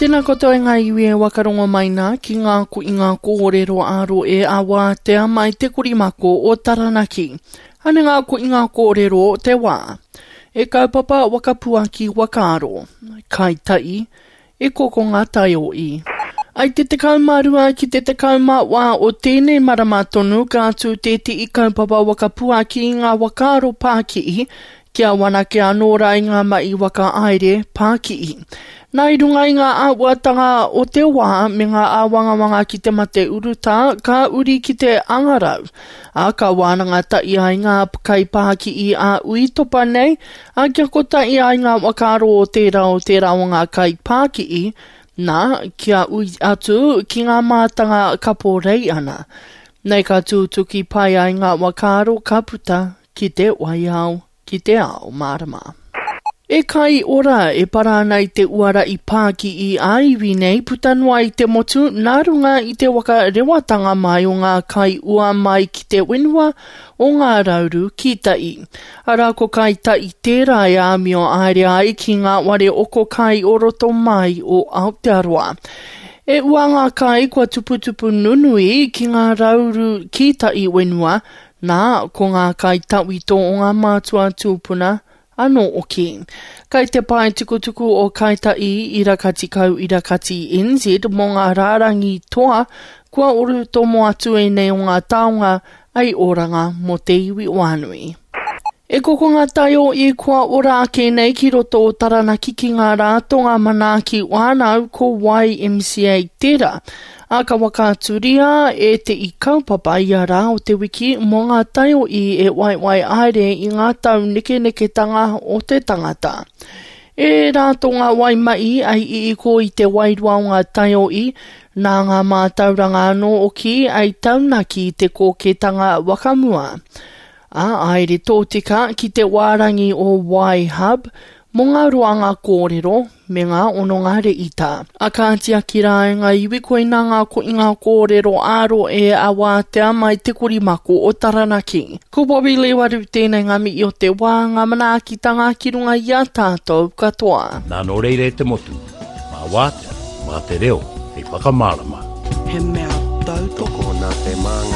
Tēnā koutou e ngā iwi e wakarongo mai nā ki ngā koinga kōrero ā-roe a Wātea mai te korimako o Taranaki. Ane ngā koinga kōrero o te wā. E kaupapa wakapuaki wakaaro. Kai tai, e kokonga taio'i. I te 12 ki te 14 o tēnei marama tonu ka tū tētehi kaupapa wakapuaki i ngā wakaaro pākihi Kia whanake anō rā i ngā mahi whakahaere pākihi. Nā i runga i ngā āhuatanga o te wā me ngā āwangawanga ki te mate urutā, ka uri ki te hangarau, ā, ka wānanga tahi ai ngā kaipākihi ā-uitopa nei, ā, kia kotahi ai ngā whakaaro o tērā o tērā o ngā kaipākihi, nā, kia ui atu ki ngā mātanga kapo rei ana. Nei ka tūtuki pai ai ngā whakaaro ka puta Ki te waiao, ki te ao mārama. E kai ora e para ana i te uara i pākii ā-iwi nei puta noa i te motu nā runga i te waka rewatanga mai o ngā kai ua mai ki te whenua o Ngā Rauru ki Tai. Arā ko Kai Tai tērā e āmio haere ai ki ngā ware oko kai o roto mai o Aotearoa. E ua ngā kai kua tuputupu nunui ki Ngā Rauru ki Tai whenua Nā, ko ngā kai tawhito o ngā mātua tūpuna anō oki. Kai te pae tukutuku o Kai Ta'i ira kati kau ira kati NZ mō ngā rārangi toa kua oru tomo atu ēnei o ngā taonga ai oranga mō te iwi whānui. E kokonga taio i kua ora ake nei ki roto o Taranaki ki ngā rātonga manaaki whānau ko YMCA tērā, ā, ka whakaaturia e te i kaupapa ia rā o te wiki mō ngā taio i e waiwai haere i ngā taunekeneketanga o te tangata. E rātonga waimaī ai i iko i te wairua o ngā taio i, nā ngā mātauranga anō oki ai taunaki te kōketanga wakamua. Ā, haere tōtika ki te wārangi o Y-Hub mō ngā roanga kōrero me ngā hononga rēhita. A ka tiaki rā e ngā iwi koinā ngā koinga kōrero ā-rohe a wātea mai te korimako o Taranaki. Ko Bobby Lewaru tēnei ngā mihi o te wā, ngā manaakitanga ki runga i a tātou katoa. Nā nō reira e te motu, mā wātea, mā te reo hei whakamārama. He mea tautoko. Tokona te māngai.